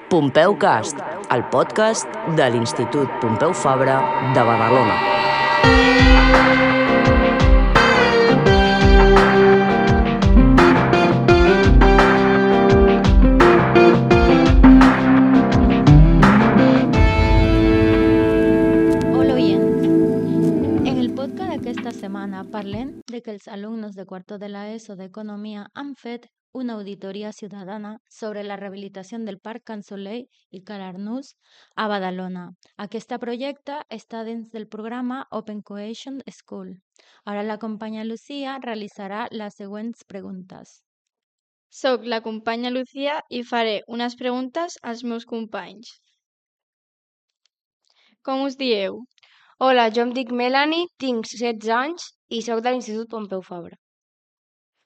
Pompeu Cast, el podcast de l'Institut Pompeu Fabra de Badalona. Hola oients. En el podcast d'aquesta setmana parlem de que els alumnes de quarto de l'ESO d'Economia han fet una auditoria ciutadana sobre la rehabilitació del Parc Can Soleil i Calarnús a Badalona. Aquest projecte està dins del programa Open Cohesion School. Ara la companya Lucía realitzarà les següents preguntes. Soc la companya Lucía i faré unes preguntes als meus companys. Com us dieu? Hola, jo em dic Melanie, tinc 16 anys i sóc de l'Institut Pompeu Fabra.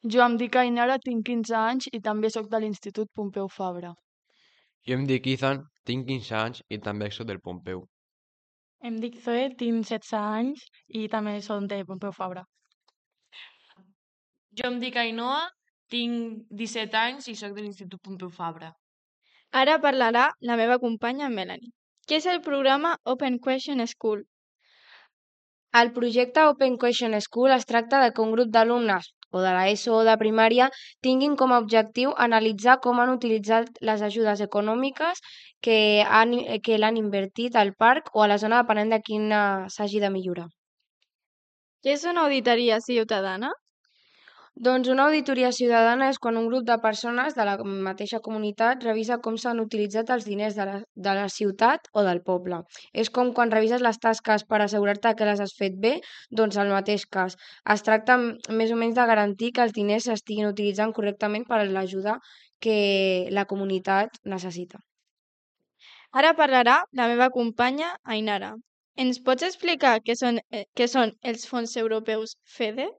Jo em dic Ainara, tinc 15 anys i també sóc de l'Institut Pompeu Fabra. Jo em dic Ethan, tinc 15 anys i també sóc del Pompeu. Em dic Zoe, tinc 16 anys i també soc de Pompeu Fabra. Jo em dic Ainhoa, tinc 17 anys i sóc de l'Institut Pompeu Fabra. Ara parlarà la meva companya Melanie. Què és el programa Open Question School? El projecte Open Cohesion School es tracta de que un grup d'alumnes o de l'ESO o de primària tinguin com a objectiu analitzar com han utilitzat les ajudes econòmiques que l'han invertit al parc o a la zona depenent de quina s'hagi de millorar. Què és una auditoria ciutadana? Doncs una auditoria ciutadana és quan un grup de persones de la mateixa comunitat revisa com s'han utilitzat els diners de la ciutat o del poble. És com quan revises les tasques per assegurar-te que les has fet bé, doncs el mateix cas. Es tracta més o menys de garantir que els diners s'estiguin utilitzant correctament per a l'ajuda que la comunitat necessita. Ara parlarà la meva companya Ainara. Ens pots explicar què són els fons europeus FEDER?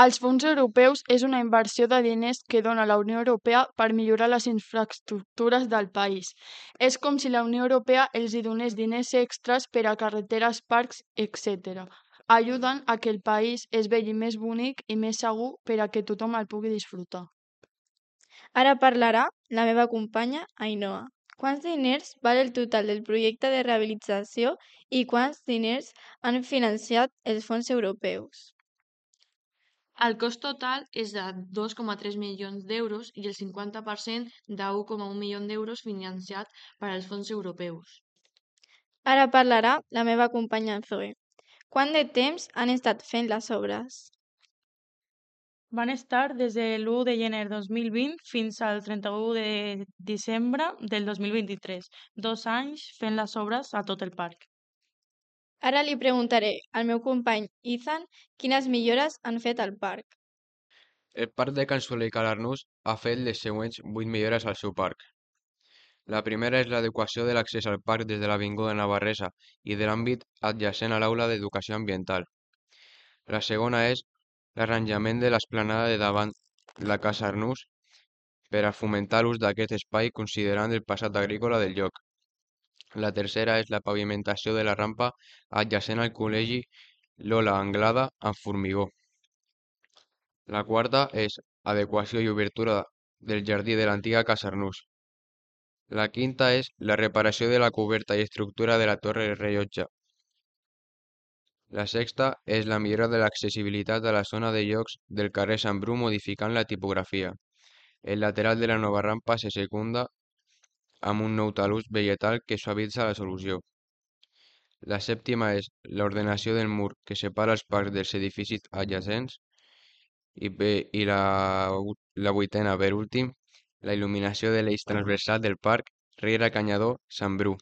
Els fons europeus és una inversió de diners que dona la Unió Europea per millorar les infraestructures del país. És com si la Unió Europea els hi donés diners extras per a carreteres, parcs, etc. Ajuden a que el país es vegi més bonic i més segur per a que tothom el pugui disfrutar. Ara parlarà la meva companya Ainhoa. Quants diners val el total del projecte de rehabilitació i quants diners han financiat els fons europeus? El cost total és de 2,3 milions d'euros i el 50% de 1,1 milió d'euros financiat per als fons europeus. Ara parlarà la meva companya Zoe. Quant de temps han estat fent les obres? Van estar des de l'1 de gener 2020 fins al 31 de desembre del 2023, 2 anys fent les obres a tot el parc. Ara li preguntaré al meu company Ethan quines millores han fet al parc. El parc de Can Soleil i Calarnús ha fet les següents 8 millores al seu parc. La primera és l'adequació de l'accés al parc des de l'Avinguda Navarresa i de l'àmbit adjacent a l'aula d'Educació Ambiental. La segona és l'arranjament de l'esplanada de davant la Casa Arnús per a fomentar l'ús d'aquest espai considerant el passat agrícola del lloc. La tercera és la pavimentació de la rampa adjacent al col·legi Lola Anglada amb formigó. La quarta és adequació i obertura del jardí de l'antiga Casa Arnús. La quinta és la reparació de la coberta i estructura de la torre rellotge. La sexta és la millora de l'accessibilitat a la zona de llocs del carrer Sant Bru modificant la tipografia. El lateral de la nova rampa se secunda amb un nou talús vegetal que suavitza la solució. La sèptima és l'ordenació del mur que separa els parcs dels edificis adjacents i la vuitena, per últim, la il·luminació de l'eix transversal del parc Riera Canyadó Sant Bru.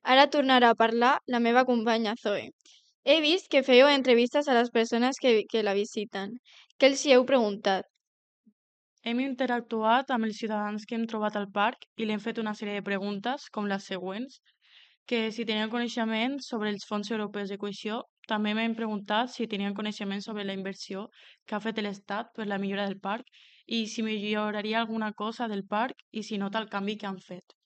Ara tornarà a parlar la meva companya Zoe. He vist que fèieu entrevistes a les persones que la visiten. Què els hi heu preguntat? Hem interactuat amb els ciutadans que hem trobat al parc i li hem fet una sèrie de preguntes, com les següents, que si tenien coneixement sobre els fons europeus de cohesió, també m'hem preguntat si tenien coneixement sobre la inversió que ha fet l'Estat per la millora del parc i si milloraria alguna cosa del parc i si nota el canvi que han fet.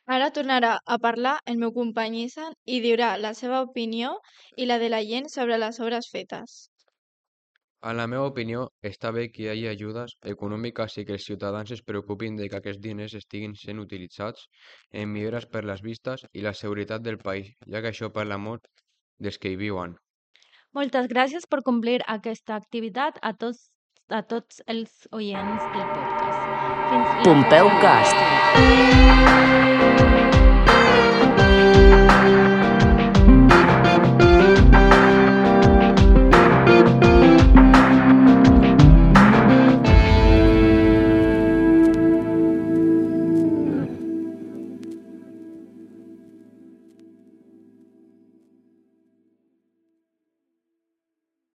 Ara tornarà a parlar el meu company Ethan i dirà la seva opinió i la de la gent sobre les obres fetes. En la meva opinió, està bé que hi hagi ajudes econòmiques i que els ciutadans es preocupin de que aquests diners estiguin sent utilitzats en millores per les vistes i la seguretat del país, ja que això parla molt dels que hi viuen. Moltes gràcies per complir aquesta activitat a tots els oients del podcast. Fins la Pompeu propera. Cast.